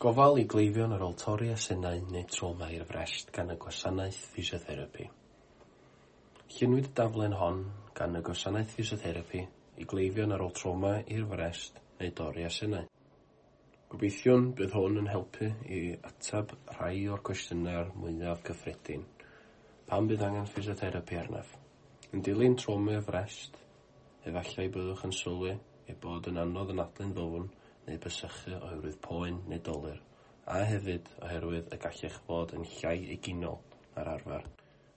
Gofal i gleifion ar ôl torri asennau neu trawma i'r frest gan y Gwasanaeth Ffisiotherapi. Lluniwyd y daflen hon gan y Gwasanaeth Ffisiotherapi i gleifion ar ôl trawma i'r frest neu dorri asennau. Gobeithiwn bydd hwn yn helpu i ateb rhai o'r cwestiynau mwyaf cyffredin. Pam bydd angen ffisiotherapi arnaf? Yn dilyn trawma i'r frest, efallai byddwch yn sylwi ei bod yn anodd anadlu'n ddwfn neu bysychu oherwydd poen neu dolur, a hefyd oherwydd y gallech fod yn llai eginol na'r arfer.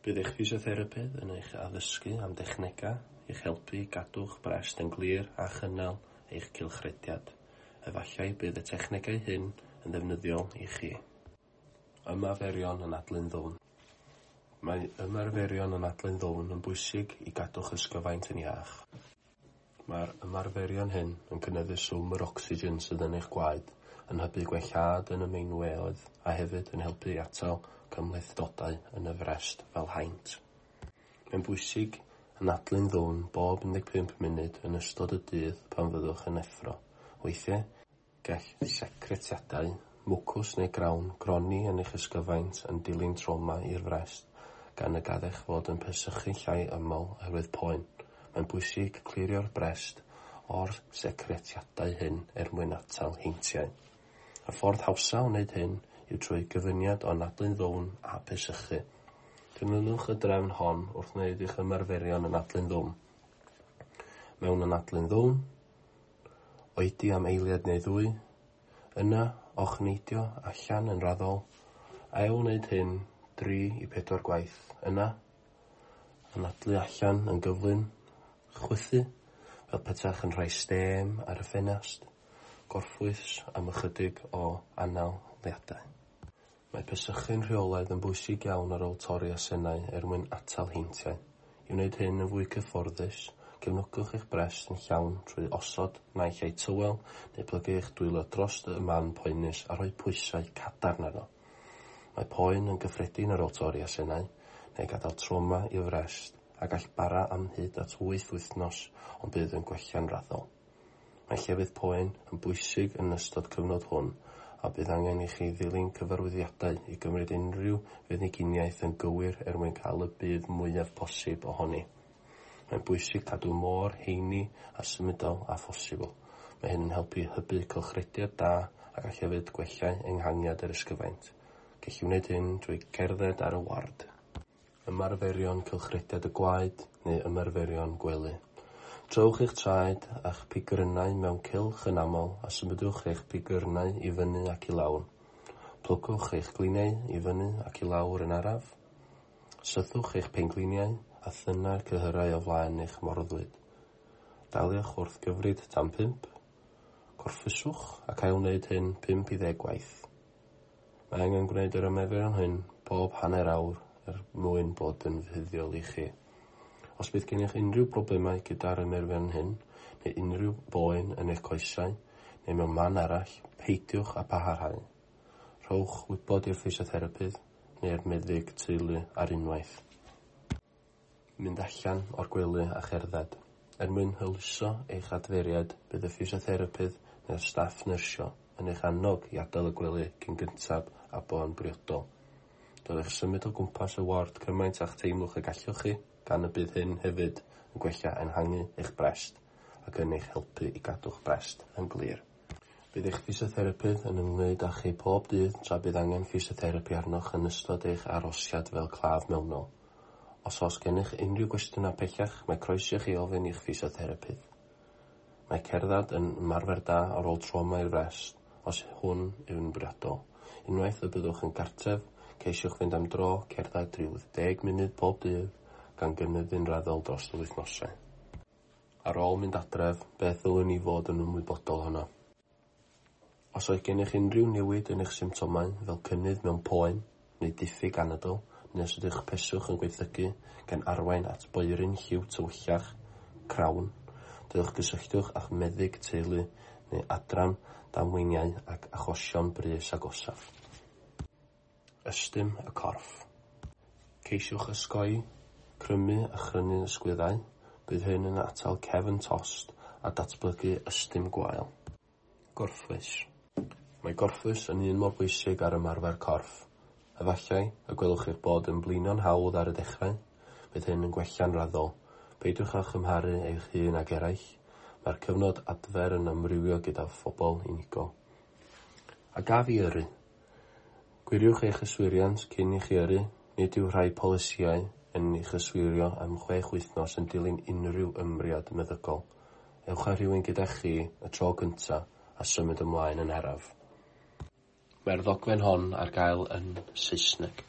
Bydd eich ffisiotherapydd yn eich addysgu am dechnegau i'ch helpu i gadw'ch brest yn glir a chynnal eich cylchrediad. Efallai bydd y technegau hyn yn ddefnyddiol i chi. Ymarferion anadlu'n ddwfn. Mae ymarferion anadlu'n ddwfn yn bwysig i gadw'ch ysgyfaint yn iach. Mae'r ymarferion hyn yn cynyddu swm yr ocsigen sydd yn eich gwaed, yn hybu gwellhad yn y meinweoedd a hefyd yn helpu i atal cymhlethdodau yn y frest fel haint. Mae'n bwysig anadlu'n ddwfn bob 15 munud yn ystod y dydd pan fyddwch yn effro. Weithiau, gall secretiadau, mwcws neu grawn gronni yn eich ysgyfaint yn dilyn trawma i'r frest, gan y gallech fod yn pesychu llai aml oherwydd poen. Mae'n bwysig clirio'r brest o'r secretiadau hyn er mwyn atal heintiau. Y ffordd hawsa o wneud hyn yw trwy gyfuniad o anadlu'n ddwfn a pesychu. Dilynwch y drefn hon wrth wneud eich ymarferion anadlu'n ddwfn. Mewn anadlu'n ddwfn, oedi am eiliad neu ddwy, yna ochneidio allan yn raddol, ail wneud hyn 3 i 4 gwaith, yna anadlu allan yn gyflym, chwythu fel petaech yn rhoi stêm ar y ffenast, gorffwys am ychydig o analiadau. Mae pesychu'n rheolaidd yn bwysig iawn ar ôl torri asennau er mwyn atal heintiau. I wneud hyn yn fwy cyfforddus, cefnogwch eich brest yn llawn trwy osod naill ai tywel neu plygu eich dwylo dros y man poenus a rhoi pwysau cadarn arno. Mae poen yn gyffredin ar ôl torri asennau neu gadael trawma i'r frest a gall bara am hyd at 8 wythnos ond bydd yn gwella'n raddol. Mae llefydd poen yn bwysig yn ystod cyfnod hwn a bydd angen i chi ddilyn cyfarwyddiadau i gymryd unrhyw feddyginiaeth yn gywir er mwyn cael y budd mwyaf posib ohoni. Mae'n bwysig cadw mor heini a symudol â phosibl. Mae hyn yn helpu hybu cylchrediad da a gall hefyd gwella enghangiad yr ysgyfaint. Gellir wneud hyn drwy cerdded ar y ward. Ymarferion cylchrediad y gwaed neu ymarferion gwely. Trowch eich traed a'ch pigyrnau mewn cylch yn aml a symudwch eich pigyrnau i fyny ac i lawr. Plygwch eich gliniau i fyny ac i lawr yn araf. Sythwch eich pengliniau a thynnu'r cyhyrau o flaen eich morddwyd. Daliwch wrth gyfrid tan 5. Gorffwyswch ac ail wneud hyn 5 i 10 gwaith. Mae angen gwneud yr ymarferion hyn bob hanner awr er mwyn bod yn fuddiol i chi. Os bydd gennych unrhyw broblemau gyda'r ymarferion hyn, neu unrhyw boen yn eich coesau, neu mewn man arall, peidiwch â pharhau. Rhowch wybod i'r ffisiotherapydd neu'r meddyg teulu ar unwaith. Mynd allan o'r gwely a cherdded. Er mwyn hwyluso eich adferiad, bydd y ffisiotherapydd neu'r staff nyrsio yn eich annog i adael y gwely cyn gyntaf a bo'n briodol. Dylech symud o gwmpas y ward cymaint â'ch teimlwch y gallwch chi, gan y bydd hyn hefyd yn gwella ehangu eich brest ac yn eich helpu i gadw'ch brest yn glir. Bydd eich ffisiotherapydd yn ymwneud â chi pob dydd tra bydd angen ffisiotherapi arnoch yn ystod eich arhosiad fel claf mewnol. Os oes gennych unrhyw gwestiynau pellach, mae croeso i chi ofyn i'ch ffisiotherapydd. Mae cerdded yn ymarfer da ar ôl trawma i'r frest, os hwn yw'n briodol. Unwaith y byddwch yn gartref, ceisiwch fynd am dro cerdded rhyw 10 munud pob dydd, gan gynyddu'n raddol dros y wythnosau. Ar ôl mynd adref, beth ddylwn i fod yn ymwybodol ohono? Os oes gennych unrhyw newid yn eich symptomau, fel cynnydd mewn poen neu diffyg anadl, neu os ydych peswch yn gwaethygu gan arwain at boeryn lliw tywyllach, crawn, dylech gysylltwch â'ch meddyg teulu neu adran damweiniau ac achosion brys agosaf. Ystum y corff. Ceisiwch osgoi crymu a chrynu ysgwyddau, bydd hyn yn atal cefn tost a datblygu ystum gwael. Gorffwys. Mae gorffwys yn un mor bwysig â'r ymarfer corff. Efallai y gwelwch eich bod yn blino'n hawdd ar y dechrau, bydd hyn yn gwella'n raddol. Peidiwch â chymharu eich hun ag eraill, mae'r cyfnod adfer yn amrywio gyda phobl unigol. A gaf i yrru? Gwiriwch eich yswiriant cyn i chi yrru. Nid yw rhai polisïau yn eich yswirio am 6 wythnos yn dilyn unrhyw ymyriad meddygol. Ewch â rhywun gyda chi y tro cyntaf a symud ymlaen yn araf. Mae'r ddogfen hon ar gael yn Saesneg.